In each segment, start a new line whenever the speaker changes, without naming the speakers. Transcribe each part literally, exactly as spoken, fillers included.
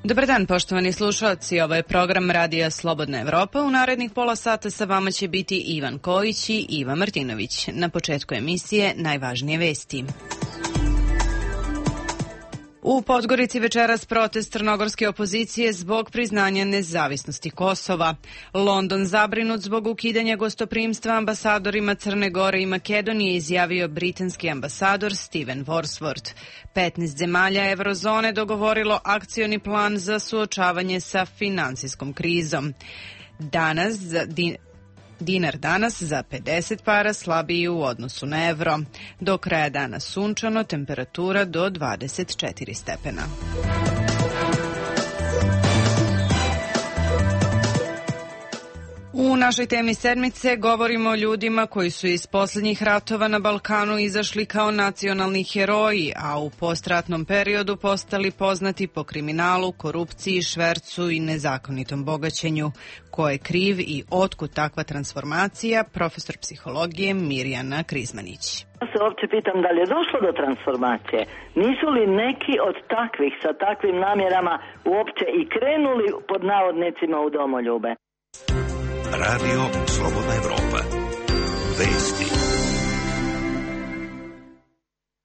Dobar dan, poštovani slušalci. Ovo je program Radija Slobodna Evropa. U narednih pola sata sa vama će biti Ivan Kojić i Iva Martinović. Na početku emisije najvažnije vesti. U Podgorici večeras protest crnogorske opozicije zbog priznanja nezavisnosti Kosova. London zabrinut zbog ukidanja gostoprimstva ambasadorima Crne Gore i Makedonije, izjavio britanski ambasador Steven Worsworth. petnaest zemalja eurozone dogovorilo akcioni plan za suočavanje sa finansijskom krizom. Danas za din... Dinar danas za pedeset para slabiji u odnosu na evro. Do kraja dana sunčano, temperatura do dvadeset četiri stepena. U našoj temi sedmice govorimo o ljudima koji su iz posljednjih ratova na Balkanu izašli kao nacionalni heroji, a u postratnom periodu postali poznati po kriminalu, korupciji, švercu i nezakonitom bogaćenju. Ko je kriv i otkud takva transformacija? Profesor psihologije Mirjana Krizmanić.
Ja se uopće pitam da li je došlo do transformacije. Nisu li neki od takvih sa takvim namjerama uopće i krenuli pod navodnicima u domoljube?
Radio Slobodna Evropa. Vesti.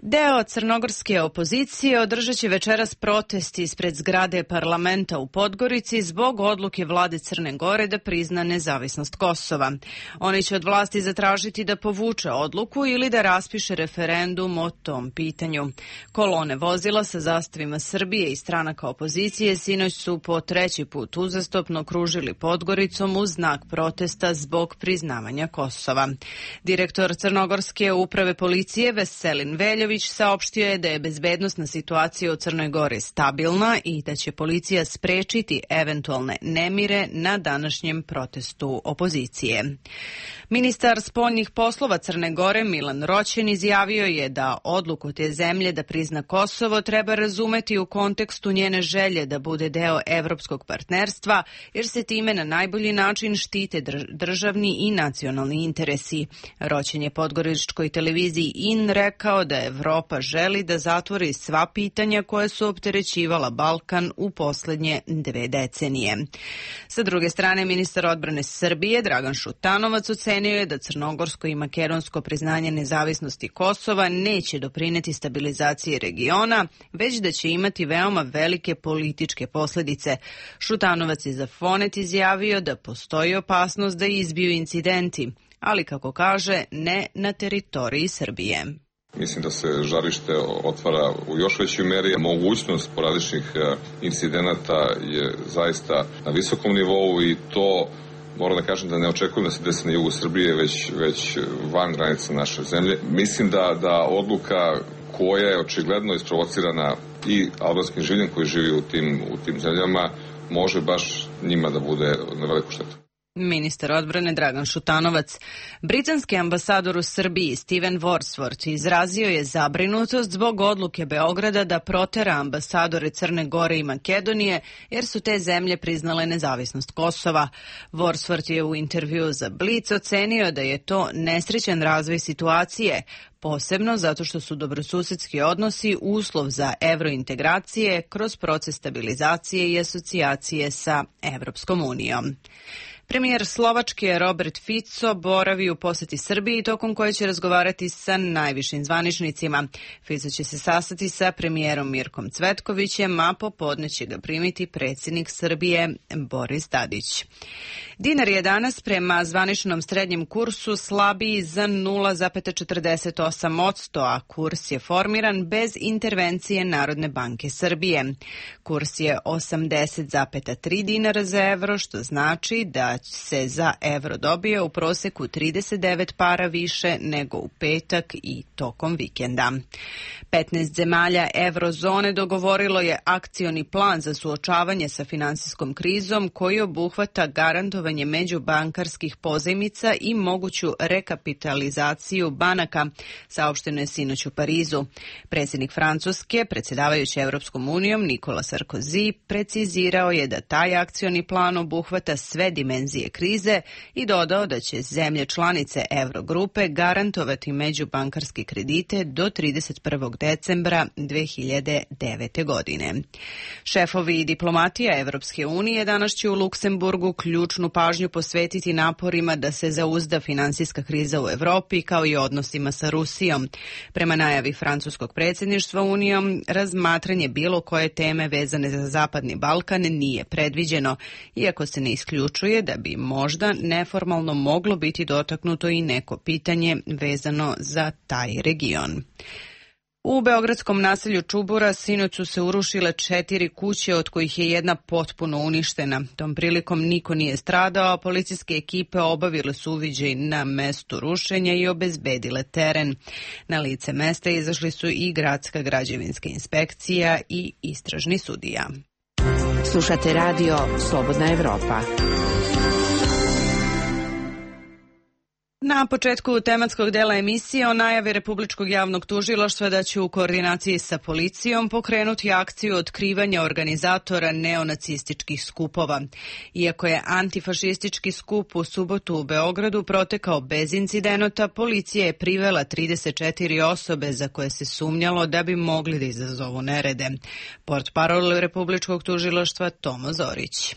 Deo crnogorske opozicije održat će večeras protest ispred zgrade parlamenta u Podgorici zbog odluke vlade Crne Gore da prizna nezavisnost Kosova. Oni će od vlasti zatražiti da povuče odluku ili da raspiše referendum o tom pitanju. Kolone vozila sa zastavima Srbije i stranaka opozicije sinoć su po treći put uzastopno kružili Podgoricom u znak protesta zbog priznavanja Kosova. Direktor crnogorske uprave policije Veselin Veljović saopštio je da je bezbednosna situacija u Crnoj Gori stabilna i da će policija sprečiti eventualne nemire na današnjem protestu opozicije. Ministar spoljnih poslova Crne Gore Milan Roćen izjavio je da odluku te zemlje da prizna Kosovo treba razumeti u kontekstu njene želje da bude deo evropskog partnerstva, jer se time na najbolji način štite državni i nacionalni interesi. Roćen je podgoričkoj televiziji I N rekao da Evropa želi da zatvori sva pitanja koje su opterećivala Balkan u poslednje dve decenije. Sa druge strane, ministar odbrane Srbije Dragan Šutanovac ocenio je da crnogorsko i makedonsko priznanje nezavisnosti Kosova neće doprineti stabilizaciji regiona, već da će imati veoma velike političke posledice. Šutanovac je za Fonet izjavio da postoji opasnost da izbiju incidenti, ali kako kaže, ne na teritoriji Srbije.
Mislim da se žarište otvara u još većoj meri. Mogućnost poradičnih incidenata je zaista na visokom nivou i to moram da kažem da ne očekujem da se desi na jugu Srbije, već, već van granica naše zemlje. Mislim da, da odluka koja je očigledno isprovocirana i albanskim življem koji živi u tim, u tim zemljama može baš njima da bude na veliku štetu.
Ministar odbrane Dragan Šutanovac. Britanski ambasador u Srbiji Steven Worsworth izrazio je zabrinutost zbog odluke Beograda da protera ambasadore Crne Gore i Makedonije, jer su te zemlje priznale nezavisnost Kosova. Worsworth je u intervjuu za Blic ocenio da je to nesrećan razvoj situacije, posebno zato što su dobrosusedski odnosi uslov za evrointegracije kroz proces stabilizacije i asocijacije sa Evropskom unijom. Premijer Slovačke Robert Fico boravi u poseti Srbiji, tokom koje će razgovarati sa najvišim zvaničnicima. Fico će se sastati sa premijerom Mirkom Cvetkovićem, a popodne će ga primiti predsjednik Srbije Boris Tadić. Dinar je danas prema zvaničnom srednjem kursu slabiji za nula zarez četrdeset osam posto, a kurs je formiran bez intervencije Narodne banke Srbije. Kurs je osamdeset zarez tri dinara za evro, što znači da se za evro dobije u proseku trideset devet para više nego u petak i tokom vikenda. petnaest zemalja eurozone dogovorilo je akcioni plan za suočavanje sa finansijskom krizom koji obuhvata garantovanje međubankarskih pozajmica i moguću rekapitalizaciju banaka, saopšteno je sinoć u Parizu. Predsjednik Francuske, predsjedavajući Evropskom unijom, Nikola Sarkozy, precizirao je da taj akcioni plan obuhvata sve dimenzije tenzije krize i dodao da će zemlje članice Eurogrupe garantovati međubankarske kredite do trideset prvog decembra dve hiljade devete. godine. Šefovi diplomatija Evropske unije danas će u Luksemburgu ključnu pažnju posvetiti naporima da se zauzda finansijska kriza u Evropi kao i odnosima sa Rusijom. Prema najavi francuskog predsjedništva Unijom, razmatranje bilo koje teme vezane za Zapadni Balkan nije predviđeno, iako se ne isključuje da bi možda neformalno moglo biti dotaknuto i neko pitanje vezano za taj region. U beogradskom naselju Čubura sinoć su se urušile četiri kuće, od kojih je jedna potpuno uništena. Tom prilikom niko nije stradao, a policijske ekipe obavile su uviđaj na mestu rušenja i obezbedile teren. Na lice mesta izašli su i gradska građevinska inspekcija i istražni sudija.
Slušate radio Slobodna Evropa.
Na početku tematskog dela emisije o najavi Republičkog javnog tužilaštva da će u koordinaciji sa policijom pokrenuti akciju otkrivanja organizatora neonacističkih skupova. Iako je antifašistički skup u subotu u Beogradu protekao bez incidenata, policija je privela trideset četiri osobe za koje se sumnjalo da bi mogli da izazovu nerede. Portparol Republičkog tužilaštva Tomo Zorić.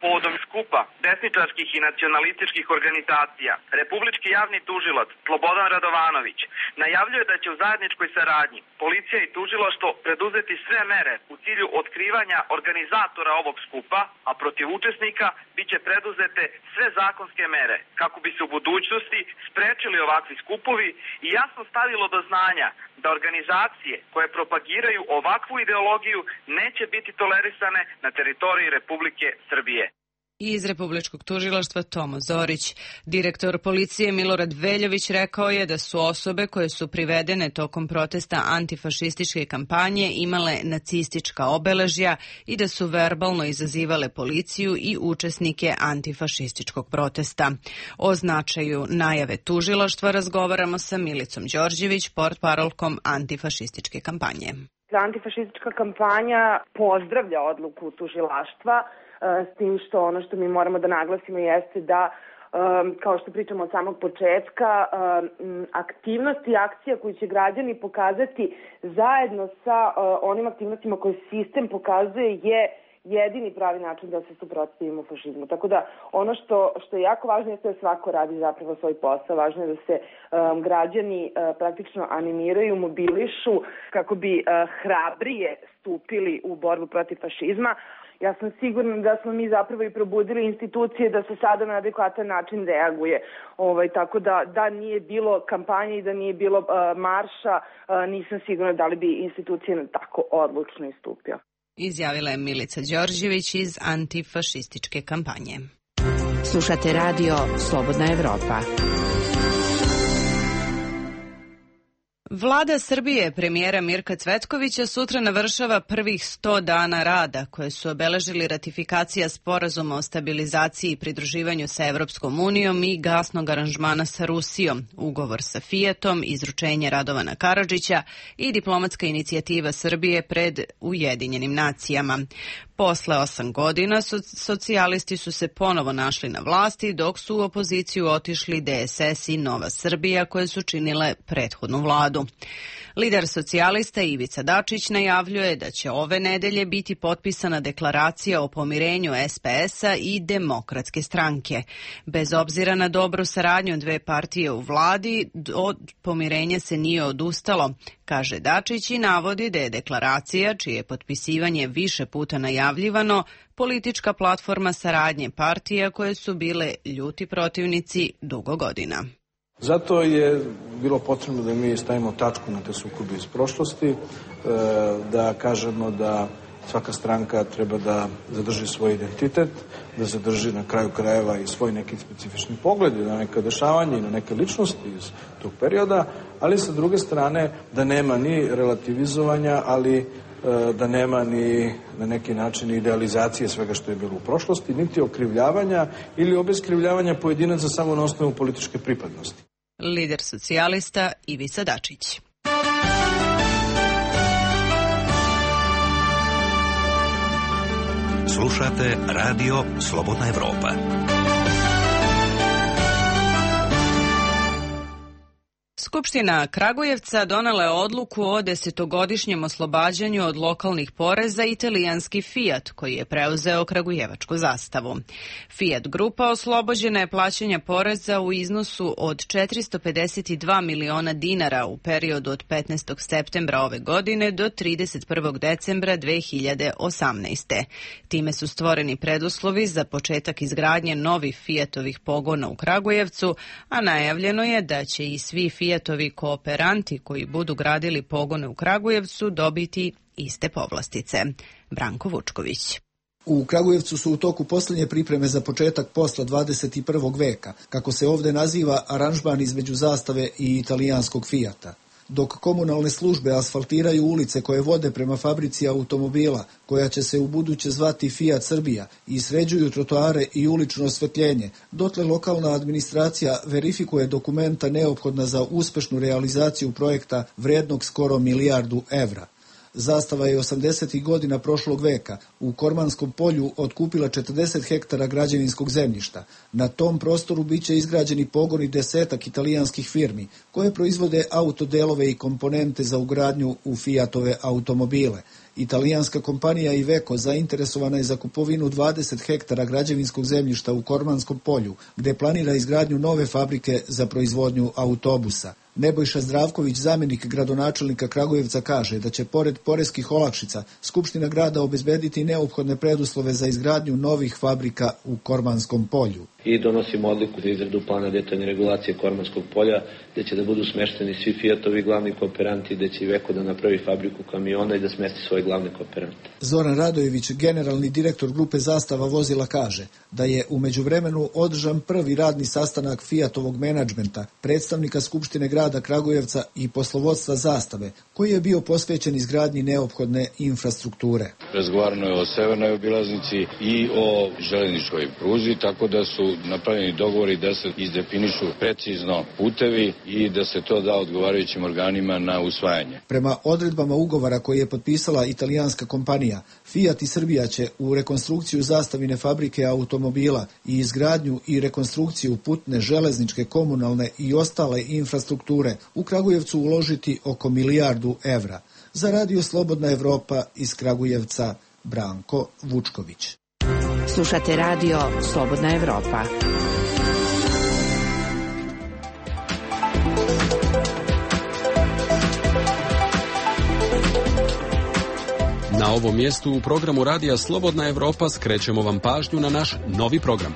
Povodom skupa desničarskih i nacionalističkih organizacija, Republički javni tužilac Slobodan Radovanović najavljuje da će u zajedničkoj saradnji policija i tužilaštvo preduzeti sve mere u cilju otkrivanja organizatora ovog skupa, a protiv učesnika biće preduzete sve zakonske mere kako bi se u budućnosti sprečili ovakvi skupovi i jasno stavilo do znanja da organizacije koje propagiraju ovakvu ideologiju neće biti tolerisane na teritoriji Republike Srbije.
Iz Republičkog tužilaštva Tomo Zorić. Direktor policije Milorad Veljović rekao je da su osobe koje su privedene tokom protesta antifašističke kampanje imale nacistička obeležja i da su verbalno izazivale policiju i učesnike antifašističkog protesta. O značaju najave tužilaštva razgovaramo sa Milicom Đorđević, portparolkom antifašističke kampanje.
Antifašistička kampanja pozdravlja odluku tužilaštva, s tim što ono što mi moramo da naglasimo jeste da, kao što pričamo od samog početka, aktivnosti i akcija koju će građani pokazati zajedno sa onim aktivnostima koje sistem pokazuje je jedini pravi način da se suprotstavimo fašizmu. Tako da ono što, što je jako važno je da svako radi zapravo svoj posao. Važno je da se um, građani uh, praktično animiraju, mobilišu kako bi uh, hrabrije stupili u borbu protiv fašizma. Ja sam sigurna da smo mi zapravo i probudili institucije da se sada na adekvatan način reaguje. Ovaj, tako da, da nije bilo kampanje i da nije bilo uh, marša, uh, nisam sigurna da li bi institucije tako odlučno istupio.
Izjavila je Milica Đorđević iz antifašističke kampanje.
Slušate radio Slobodna Evropa.
Vlada Srbije premijera Mirka Cvetkovića sutra navršava prvih sto dana rada koje su obeležili ratifikacija sporazuma o stabilizaciji i pridruživanju sa Evropskom unijom i gasnog aranžmana sa Rusijom, ugovor sa Fijatom, izručenje Radovana Karadžića i diplomatska inicijativa Srbije pred Ujedinjenim nacijama. Posle osam godina socijalisti su se ponovo našli na vlasti, dok su u opoziciju otišli D S S i Nova Srbija koje su činile prethodnu vladu. Lider socijalista Ivica Dačić najavljuje da će ove nedelje biti potpisana deklaracija o pomirenju S P S-a i Demokratske stranke. Bez obzira na dobru saradnju dve partije u vladi, od pomirenja se nije odustalo, kaže Dačić i navodi da je deklaracija, čije potpisivanje više puta najavljivano, politička platforma saradnje partija koje su bile ljuti protivnici dugo godina.
Zato je bilo potrebno da mi stavimo tačku na te sukobe iz prošlosti, da kažemo da svaka stranka treba da zadrži svoj identitet, da zadrži na kraju krajeva i svoj neki specifični pogled na neka dešavanja i na neke ličnosti iz tog perioda, ali sa druge strane da nema ni relativizovanja, ali da nema ni na neki način idealizacije svega što je bilo u prošlosti, niti okrivljavanja ili obeskrivljavanja pojedinaca samo na osnovu političke pripadnosti.
Lider socijalista Ivica Dačić.
Slušate radio Slobodna Evropa.
Skupština Kragujevca donela je odluku o desetogodišnjem oslobađanju od lokalnih poreza italijanski Fiat, koji je preuzeo kragujevačku zastavu. Fiat grupa oslobođena je plaćanja poreza u iznosu od četiristo pedeset dva miliona dinara u periodu od petnaestog septembra ove godine do trideset prvog decembra dve hiljade osamnaeste. Time su stvoreni preduslovi za početak izgradnje novih Fiatovih pogona u Kragujevcu, a najavljeno je da će i svi Fiatovi kooperanti koji budu gradili pogone u Kragujevcu dobiti iste povlastice. Branko Vučković.
U Kragujevcu su u toku posljednje pripreme za početak posla dvadeset prvog veka, kako se ovdje naziva aranžman između zastave i italijanskog Fiata. Dok komunalne službe asfaltiraju ulice koje vode prema fabrici automobila, koja će se u buduće zvati Fiat Srbija, i sređuju trotoare i ulično osvetljenje, dotle lokalna administracija verifikuje dokumenta neophodna za uspešnu realizaciju projekta vrednog skoro milijardu evra. Zastava je osamdesetih godina prošlog veka u Kormanskom polju otkupila četrdeset hektara građevinskog zemljišta. Na tom prostoru biće izgrađeni pogoni desetak italijanskih firmi koje proizvode autodelove i komponente za ugradnju u Fiatove automobile. Italijanska kompanija Iveco zainteresovana je za kupovinu dvadeset hektara građevinskog zemljišta u Kormanskom polju, gde planira izgradnju nove fabrike za proizvodnju autobusa. Nebojša Zdravković, zamjenik gradonačelnika Kragujevca, kaže da će pored poreskih olakšica Skupština grada obezbediti neophodne preduslove za izgradnju novih fabrika u Kormanskom polju.
I donosimo odluku za izradu plana detaljne regulacije Kormanskog polja, gde će da budu smešteni svi Fiatovi glavni kooperanti, gde će Iveco da napravi fabriku kamiona i da smesti svoje glavne kooperante.
Zoran Radojević, generalni direktor grupe Zastava vozila, kaže da je u međuvremenu održan prvi radni sastanak Fiatovog menadžmenta, predstavnika Skupštine grada Kragujevca i poslovodstva Zastave, koji je bio posvećen izgradnji neophodne infrastrukture.
Razgovarano je o severnoj obilaznici i o železničkoj pruzi, tako da su napravljeni dogovori da se izdefinišu precizno putevi i da se to da odgovarajućim organima na usvajanje.
Prema odredbama ugovora koji je potpisala italijanska kompanija, Fiat i Srbija će u rekonstrukciju zastavine fabrike automobila i izgradnju i rekonstrukciju putne, železničke, komunalne i ostale infrastrukture u Kragujevcu uložiti oko milijardu evra. Za Radio Slobodna Evropa iz Kragujevca, Branko Vučković.
Slušate Radio Slobodna Evropa.
Na ovom mjestu u programu Radija Slobodna Evropa skrećemo vam pažnju na naš novi program.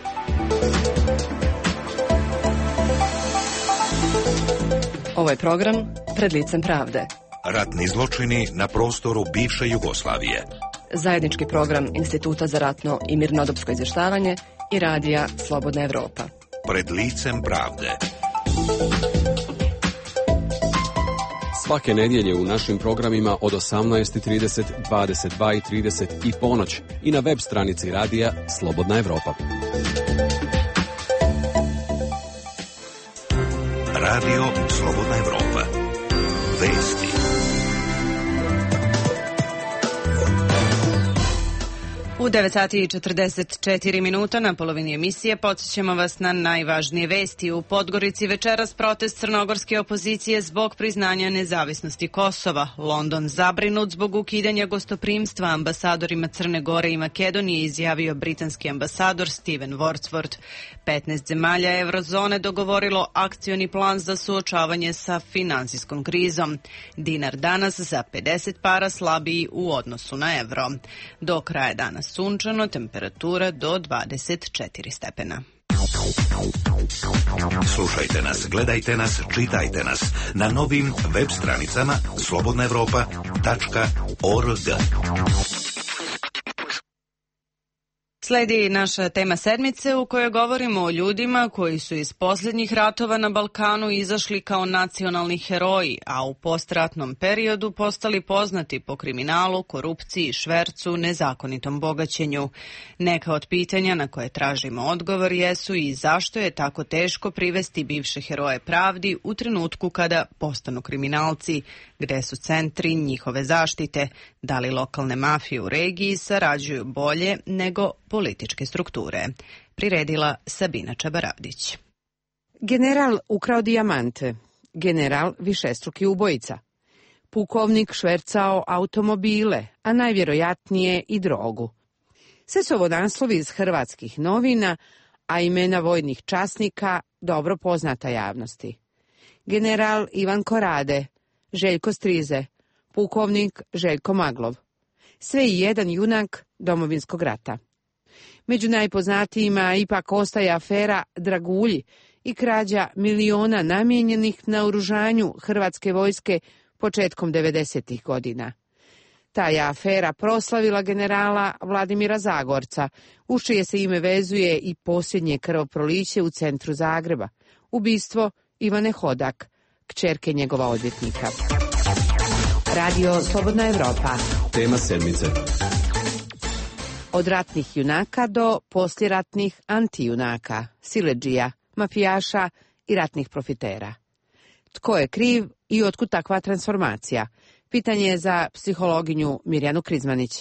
Ovo je program Pred licem pravde.
Ratni zločini na prostoru bivše Jugoslavije.
Zajednički program Instituta za ratno i mirnodopsko izvještavanje i Radija Slobodna Evropa.
Pred licem pravde.
Svake nedjelje u našim programima od osamnaest i trideset, dvadeset dva i trideset i ponoć i na web stranici Radija Slobodna Evropa.
Radio Slobodna Evropa. Vesti.
U devet sati i četrdeset četiri minuta na polovini emisije podsjećamo vas na najvažnije vesti. U Podgorici večeras protest crnogorske opozicije zbog priznanja nezavisnosti Kosova. London zabrinut zbog ukidanja gostoprimstva ambasadorima Crne Gore i Makedonije, izjavio britanski ambasador Steven Wordsworth. petnaest zemalja eurozone dogovorilo akcioni plan za suočavanje sa finansijskom krizom. Dinar danas za pedeset para slabiji u odnosu na evro. Do kraja dana sunčano, temperatura do dvadeset četiri stepena.
Slušajte nas, gledajte nas, čitajte nas na novim web stranicama slobodna evropa tačka org.
Sledi naša tema sedmice u kojoj govorimo o ljudima koji su iz posljednjih ratova na Balkanu izašli kao nacionalni heroji, a u postratnom periodu postali poznati po kriminalu, korupciji, švercu, nezakonitom bogaćenju. Neka od pitanja na koje tražimo odgovor jesu i zašto je tako teško privesti bivše heroje pravdi u trenutku kada postanu kriminalci, gde su centri njihove zaštite, da li lokalne mafije u regiji sarađuju bolje nego političke strukture. Priredila Sabina Čabaravdić.
General ukrao dijamante.
general višestruki ubojica. Pukovnik švercao automobile, a najvjerojatnije i drogu. Sve su ovo naslovi iz hrvatskih novina, a imena vojnih časnika dobro poznata javnosti. General Ivan Korade, Željko Strize, pukovnik Željko Maglov. Sve i jedan junak Domovinskog rata. Među najpoznatijima ipak ostaje afera Dragulji i krađa miliona namijenjenih naoružanju hrvatske vojske početkom devedesetih godina. Ta je afera proslavila generala Vladimira Zagorca, uz čije se ime vezuje i posljednje krvoproliće u centru Zagreba, ubistvo Ivane Hodak, kćerke njegova odvjetnika.
Radio Slobodna Evropa.
Tema sedmice.
Od ratnih junaka do poslijeratnih antijunaka, siledžija, mafijaša i ratnih profitera. Tko je kriv i otkud takva transformacija? Pitanje je za psihologinju Mirjanu Krizmanić.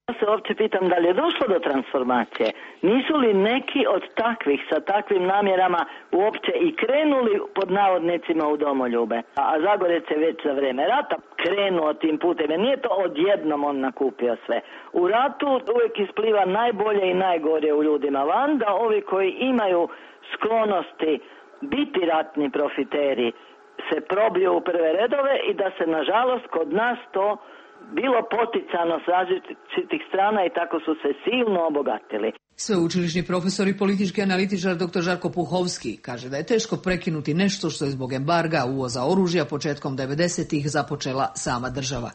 Ja se uopće pitam da li je došlo do transformacije. Nisu li neki od takvih sa takvim namjerama uopće i krenuli pod navodnicima u domoljube? A Zagorec je već za vrijeme rata krenuo tim putem. Nije to odjednom on nakupio sve. U ratu uvijek ispliva najbolje i najgore u ljudima van, da ovi koji imaju sklonosti biti ratni profiteri se probiju u prve redove i da se nažalost kod nas to bilo poticano s različitih strana i tako su se silno obogatili.
Sveučilišni profesor i politički analitičar doktor Žarko Puhovski kaže da je teško prekinuti nešto što je zbog embarga uvoza oružja početkom devedesetih započela sama država.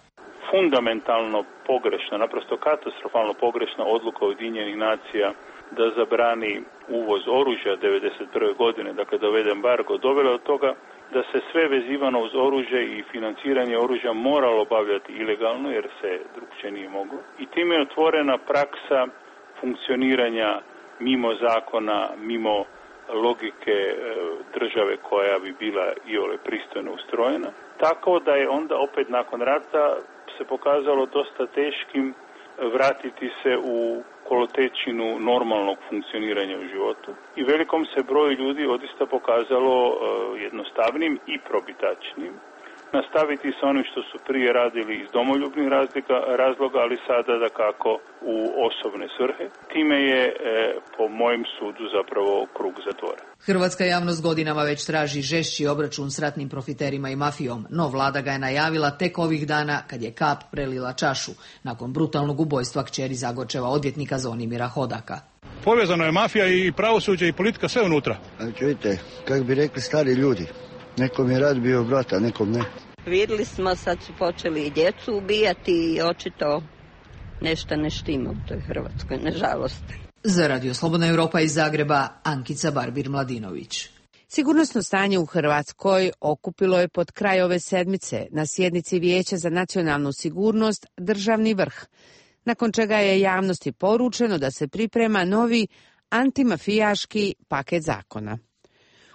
Fundamentalno pogrešna, naprosto katastrofalno pogrešna odluka Ujedinjenih nacija da zabrani uvoz oružja devedeset prve godine, dakle da uvede embargo, dovela od toga da se sve vezivano uz oružje i financiranje oružja moralo obavljati ilegalno jer se drugčije nije moglo. I time je otvorena praksa funkcioniranja mimo zakona, mimo logike države koja bi bila iole pristojno ustrojena. Tako da je onda opet nakon rata se pokazalo dosta teškim vratiti se u kolotečinu normalnog funkcioniranja u životu. I velikom se broju ljudi odista pokazalo uh, jednostavnim i probitačnim nastaviti sa onim što su prije radili iz domoljubnih razlika, razloga, ali sada da kako u osobne svrhe. Time je, e, po mojem sudu, zapravo krug zatvoren.
Hrvatska javnost godinama već traži žešći obračun s ratnim profiterima i mafijom, no vlada ga je najavila tek ovih dana kad je kap prelila čašu, nakon brutalnog ubojstva kćeri Zagorčeva odvjetnika Zvonimira Hodaka.
Povezano je mafija i pravosuđe i politika, sve unutra.
A čujte, kako bi rekli stari ljudi, nekom je rad bio brata, nekom ne.
Vidjeli smo, sad su počeli i djecu ubijati i očito nešto ne štima u toj Hrvatskoj, nažalost.
Za Radio Slobodna Evropa iz Zagreba, Ankica Barbir-Mladinović.
Sigurnosno stanje u Hrvatskoj okupilo je pod kraj ove sedmice na sjednici Vijeća za nacionalnu sigurnost državni vrh, nakon čega je javnosti poručeno da se priprema novi antimafijaški paket zakona.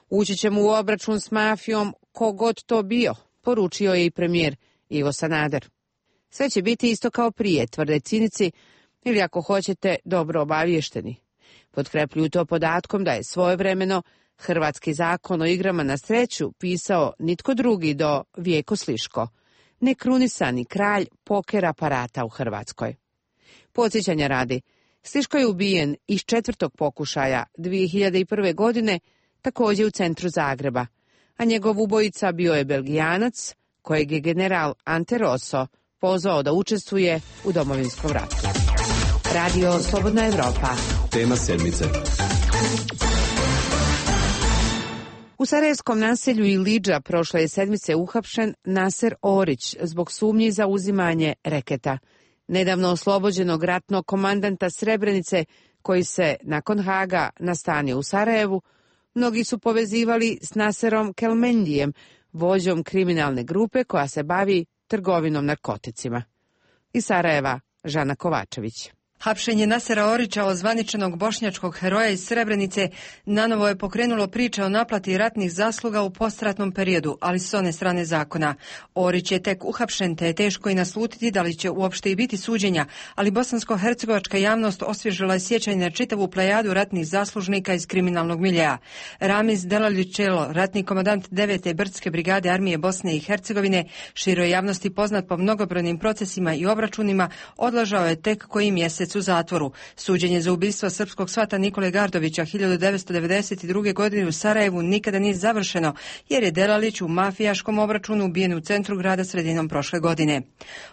Ući ćemo u obračun s mafijom kogod to bio, poručio je i premijer Ivo Sanader. Sve će biti isto kao prije, tvrde cinici, ili ako hoćete, dobro obaviješteni. Potkrepljuju to podatkom da je svojevremeno hrvatski zakon o igrama na sreću pisao nitko drugi do Vjeko Sliško, nekrunisani kralj poker aparata u Hrvatskoj. Podsjećanja radi, Sliško je ubijen iz četvrtog pokušaja dvije hiljade prve. godine, također u centru Zagreba, a njegov ubojica bio je Belgijanac, kojeg je general Ante Rosso pozvao da učestvuje u Domovinskom ratu.
Radio Slobodna Evropa.
Tema sedmice.
U sarajevskom naselju Ilidža prošle je sedmice uhapšen Naser Orić zbog sumnji za uzimanje reketa, nedavno oslobođenog ratnog komandanta Srebrenice koji se nakon Haga nastanio u Sarajevu. Mnogi su povezivali s Naserom Kelmendijem, vođom kriminalne grupe koja se bavi trgovinom narkoticima. Iz Sarajeva, Žana Kovačević.
Hapšenje Nasera Orića, ozvaničenog bošnjačkog heroja iz Srebrenice, nanovo je pokrenulo priče o naplati ratnih zasluga u postratnom periodu, ali s one strane zakona. Orić je tek uhapšen, te je teško i naslutiti da li će uopšte i biti suđenja, ali bosansko-hercegovačka javnost osvježila je sjećanje na čitavu plejadu ratnih zaslužnika iz kriminalnog miljea. Ramiz Delalić-Čelo, ratni komandant devete brdske brigade armije Bosne i Hercegovine, široj javnosti poznat po mnogobrojnim procesima i obračunima, odlažao je tek koji mjesec u zatvoru. Suđenje za ubistvo srpskog svata Nikole Gardovića hiljadu devetsto devedeset druge. godine u Sarajevu nikada nije završeno, jer je Delalić u mafijaškom obračunu ubijen u centru grada sredinom prošle godine.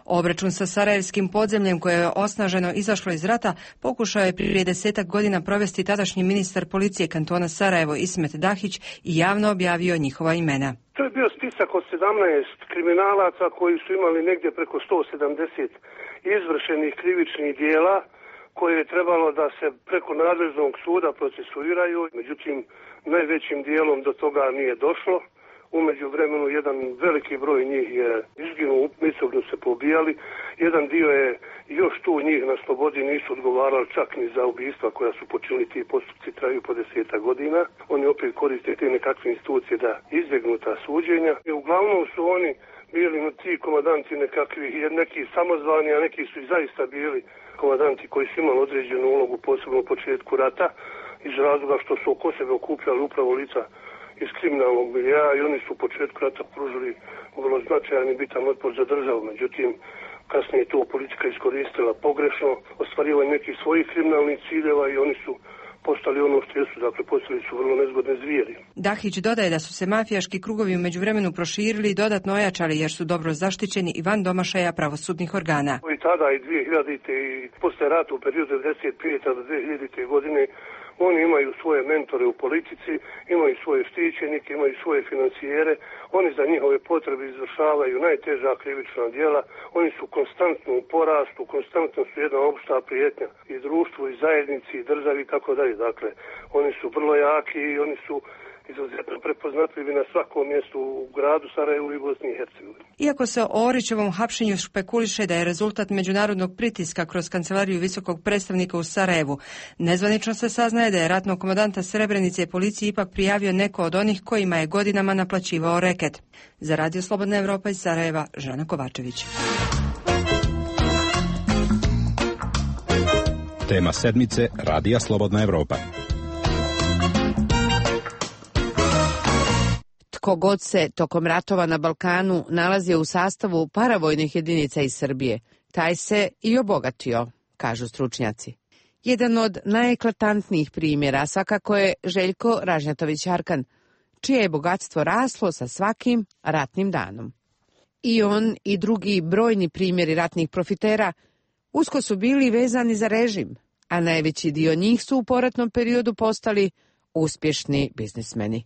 Obračun sa sarajevskim podzemljem, koje je osnaženo izašlo iz rata, pokušao je prije desetak godina provesti tadašnji ministar policije kantona Sarajevo Ismet Dahić i javno objavio njihova imena.
To je bio spisak od sedamnaest kriminalaca koji su imali negdje preko sto sedamdeset izvršenih krivičnih dijela koje je trebalo da se preko nadležnog suda procesuiraju. Međutim, najvećim dijelom do toga nije došlo. U međuvremenu jedan veliki broj njih je izginuo, međusobno se pobijali. Jedan dio je još tu njih na slobodi, nisu odgovarali čak ni za ubistva koja su počinili, ti postupci traju po deseta godina. Oni opet koriste te nekakve institucije da izbjegnu ta suđenja. I uglavnom su oni bili ti komandanti nekakvi, neki samozvani, a neki su i zaista bili komandanti koji su imali određenu ulogu, posebno u početku rata, iz razloga što su oko sebe okupljali upravo lica iz kriminalnog miljea i oni su u početku rata pružili vrlo značajan i bitan otpor za državu. Međutim, kasnije je to politika iskoristila pogrešno, ostvarivanje nekih svojih kriminalnih ciljeva i oni su postali ono što jesu, dakle postali su vrlo nezgodne zvijeri.
Dahić dodaje da su se mafijaški krugovi u međuvremenu proširili i dodatno ojačali jer su dobro zaštićeni i van domašaja pravosudnih organa.
I tada i dvije hiljadite i posle rata u periodu devedeset pete do dve hiljadite. godine oni imaju svoje mentore u politici, imaju svoje štićenike, imaju svoje financijere, oni za njihove potrebe izvršavaju najteža krivična djela, oni su konstantno u porastu, konstantno su jedna opšta prijetnja i društvu, i zajednici, i državi i tako dalje. Dakle, oni su vrlo jaki i oni su izuzetno prepoznatljivi na svakom mjestu u gradu Sarajevu i Bosni i Hercegovini.
Iako se o Orićevom hapšenju špekuliše da je rezultat međunarodnog pritiska kroz kancelariju visokog predstavnika u Sarajevu, nezvanično se saznaje da je ratnog komandanta Srebrenice policiji ipak prijavio neko od onih kojima je godinama naplaćivao reket. Za Radio Slobodna Evropa iz Sarajeva, Žana Kovačević.
Tema sedmice Radija Slobodna Evropa.
Tko god se tokom ratova na Balkanu nalazio u sastavu paravojnih jedinica iz Srbije, taj se i obogatio, kažu stručnjaci. Jedan od najeklatantnijih primjera svakako je Željko Ražnjatović-Arkan, čije je bogatstvo raslo sa svakim ratnim danom. I on i drugi brojni primjeri ratnih profitera usko su bili vezani za režim, a najveći dio njih su u poratnom periodu postali uspješni biznismeni.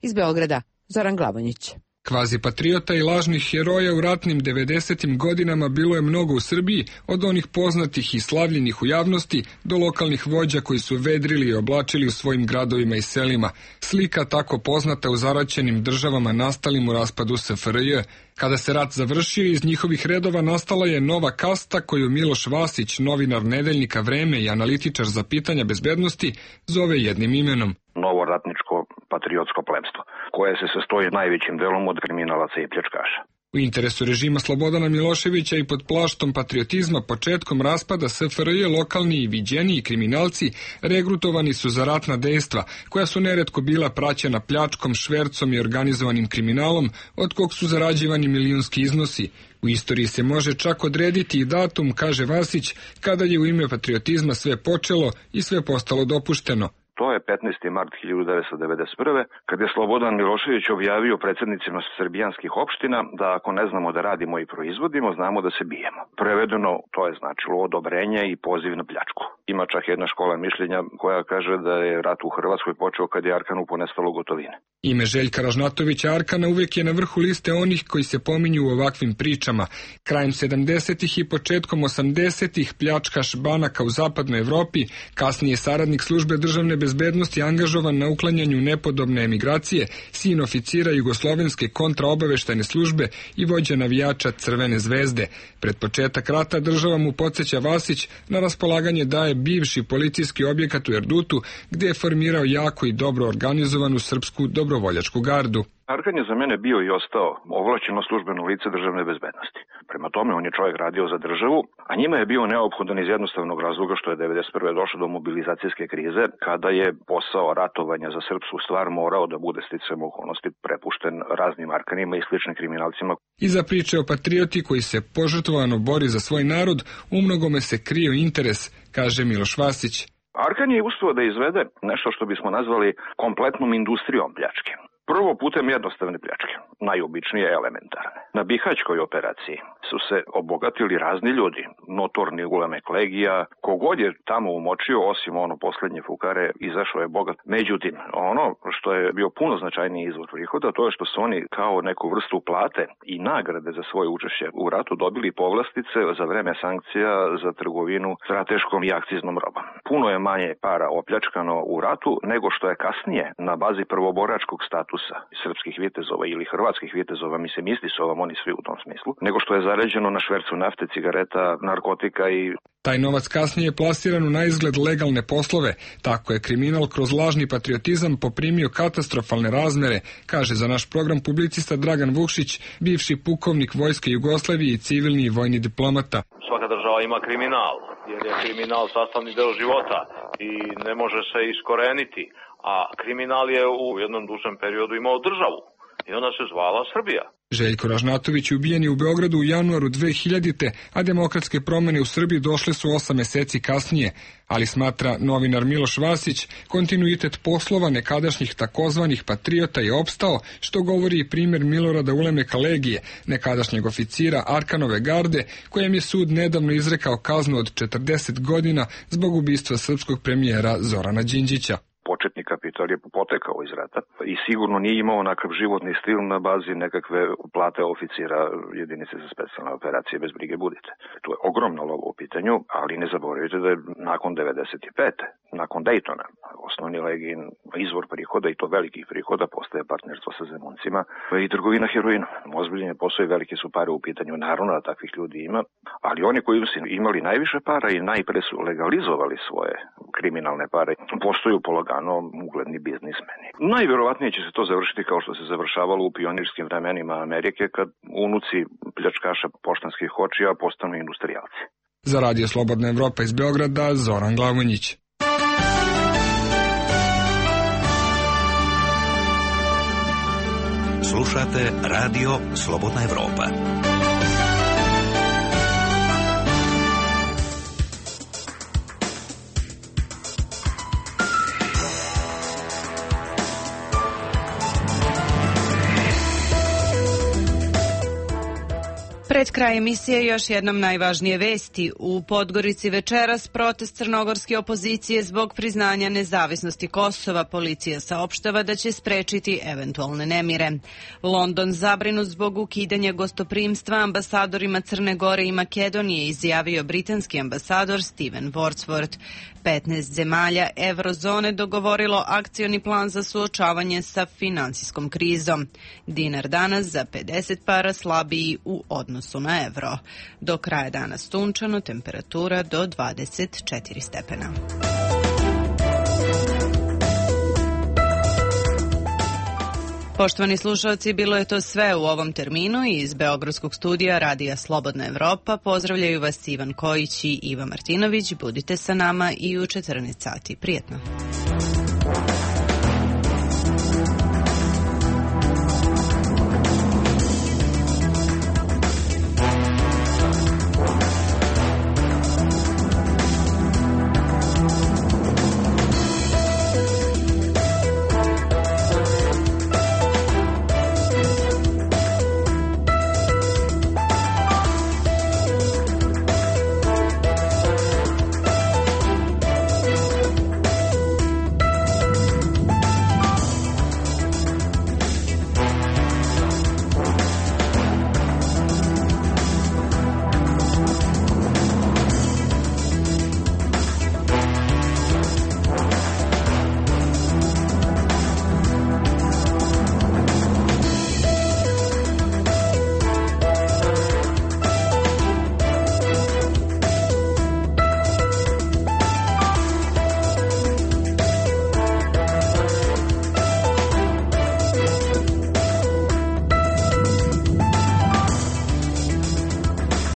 Iz Beograda, Zoran Glavonjić.
Kvazi patriota i lažnih heroja u ratnim devedesetim godinama bilo je mnogo u Srbiji, od onih poznatih i slavljenih u javnosti do lokalnih vođa koji su vedrili i oblačili u svojim gradovima i selima. Slika tako poznata u zaraćenim državama nastalim u raspadu S F R J. Kada se rat završio, iz njihovih redova nastala je nova kasta koju Miloš Vasić, novinar nedeljnika Vreme i analitičar za pitanja bezbednosti, zove jednim imenom.
Novo ratničko patriotsko plebstvo, koje se sastoji najvećim delom od kriminalaca i pljačkaša.
U interesu režima Slobodana Miloševića i pod plaštom patriotizma početkom raspada S F R J lokalni i viđeniji kriminalci regrutovani su za ratna dejstva, koja su neretko bila praćena pljačkom, švercom i organizovanim kriminalom, od kog su zarađivani milijunski iznosi. U istoriji se može čak odrediti i datum, kaže Vasić, kada je u ime patriotizma sve počelo i sve postalo dopušteno.
To je petnaesti mart hiljadu devetsto devedeset prve. kad je Slobodan Milošević objavio predsjednicima srbijanskih opština da ako ne znamo da radimo i proizvodimo, znamo da se bijemo. Prevedeno, to je značilo odobrenje i poziv na pljačku. Ima čak jedna škola mišljenja koja kaže da je rat u Hrvatskoj počeo kad je Arkanu ponestalo gotovine.
Ime Željka Ražnatovića Arkana uvijek je na vrhu liste onih koji se pominju u ovakvim pričama. Krajem sedamdesetih i početkom osamdesetih pljačkaš banaka u zapadnoj Evropi, kasnije saradnik službe državne bezbednosti bezbednosti angažovan na uklanjanju nepodobne emigracije, sin oficira jugoslovenske kontraobaveštajne službe i vođa navijača Crvene zvezde. Pred početak rata država mu podsjeća Vasić na raspolaganje daje bivši policijski objekat u Erdutu, gdje je formirao jako i dobro organizovanu srpsku dobrovoljačku gardu.
Arkan je za mene bio i ostao ovlašćeno službeno lice državne bezbednosti. Prema tome, on je čovjek radio za državu, a njima je bio neophodan iz jednostavnog razloga što je devedeset prve došlo do mobilizacijske krize, kada je posao ratovanja za srpsku stvar morao da bude sticajem okolnosti prepušten raznim Arkanima i sličnim kriminalcima.
Iza priče o patrioti koji se požrtvovano bori za svoj narod, umnogome se krio interes, kaže Miloš Vasić.
Arkan je uspio da izvede nešto što bismo nazvali kompletnom industrijom pljačke. Prvo putem jednostavne pljačke, najobičnije elementarne. Na Bihaćkoj operaciji su se obogatili razni ljudi, notorni ulemek legija, kogod je tamo umočio, osim ono posljednje fukare, izašao je bogat. Međutim, ono što je bio puno značajniji izvor prihoda, to je što su oni kao neku vrstu plate i nagrade za svoje učešće u ratu dobili povlastice za vreme sankcija za trgovinu strateškom i akciznom robom. Puno je manje para opljačkano u ratu nego što je kasnije na bazi prvoboračkog statusa srpskih vitezova ili hrvatskih vitezova, mislim isti su ovom oni svi u tom smislu, nego što je zaređeno na švercu nafte, cigareta, narkotika i...
Taj novac kasnije je plasiran u naizgled legalne poslove, tako je kriminal kroz lažni patriotizam poprimio katastrofalne razmere, kaže za naš program publicista Dragan Vukšić, bivši pukovnik Vojske Jugoslavije i civilni i vojni diplomata.
Svaka država ima kriminal, jer je kriminal sastavni deo života i ne može se iskoreniti. A kriminal je u jednom dužem periodu imao državu i ona se zvala Srbija.
Željko Ražnatović je ubijen u Beogradu u januaru dve hiljadite. a demokratske promjene u Srbiji došle su osam meseci kasnije, ali smatra novinar Miloš Vasić, kontinuitet poslova nekadašnjih takozvanih patriota je opstao, što govori i primjer Milorada Ulemeka Legije, nekadašnjeg oficira Arkanove garde, kojem je sud nedavno izrekao kaznu od četrdeset godina zbog ubistva srpskog premijera Zorana Đinđića.
Početni kapital je potekao iz rata i sigurno nije imao onakav životni stil na bazi nekakve plate oficira jedinice za specijalne operacije, bez brige budite. To je ogromno lovo u pitanju, ali ne zaboravite da je nakon devedeset pete. nakon Daytona, osnovni legin izvor prihoda i to velikih prihoda postaje partnerstvo sa Zemuncima i trgovina heroinom. Ozbiljen je posao i velike su pare u pitanju, naravno da takvih ljudi ima, ali oni koji su imali najviše para i najpre su legalizovali svoje kriminalne pare, postaju polagano ugledni biznismeni. Najvjerovatnije će se to završiti kao što se završavalo u pionirskim vremenima Amerike, kad unuci pljačkaša poštanskih kočija postanu industrijalci.
Za Radio Slobodna Evropa iz Beograda, Zoran Glavonjić.
Slušate Radio Slobodna Evropa.
Pred kraj emisije još jednom najvažnije vesti. U Podgorici večeras protest crnogorske opozicije zbog priznanja nezavisnosti Kosova. Policija saopštava da će sprečiti eventualne nemire. London zabrinut zbog ukidanja gostoprimstva ambasadorima Crne Gore i Makedonije, izjavio britanski ambasador Steven Wordsworth. petnaest zemalja eurozone dogovorilo akcioni plan za suočavanje sa finansijskom krizom. Dinar danas za pedeset para slabiji u odnosu na evro. Do kraja dana sunčano, temperatura do dvadeset četiri stepena. Poštovani slušalci, bilo je to sve u ovom terminu i iz Beogradskog studija Radija Slobodna Evropa. Pozdravljaju vas Ivan Kojić i Iva Martinović. Budite sa nama i u četrnaest sati. Prijetno.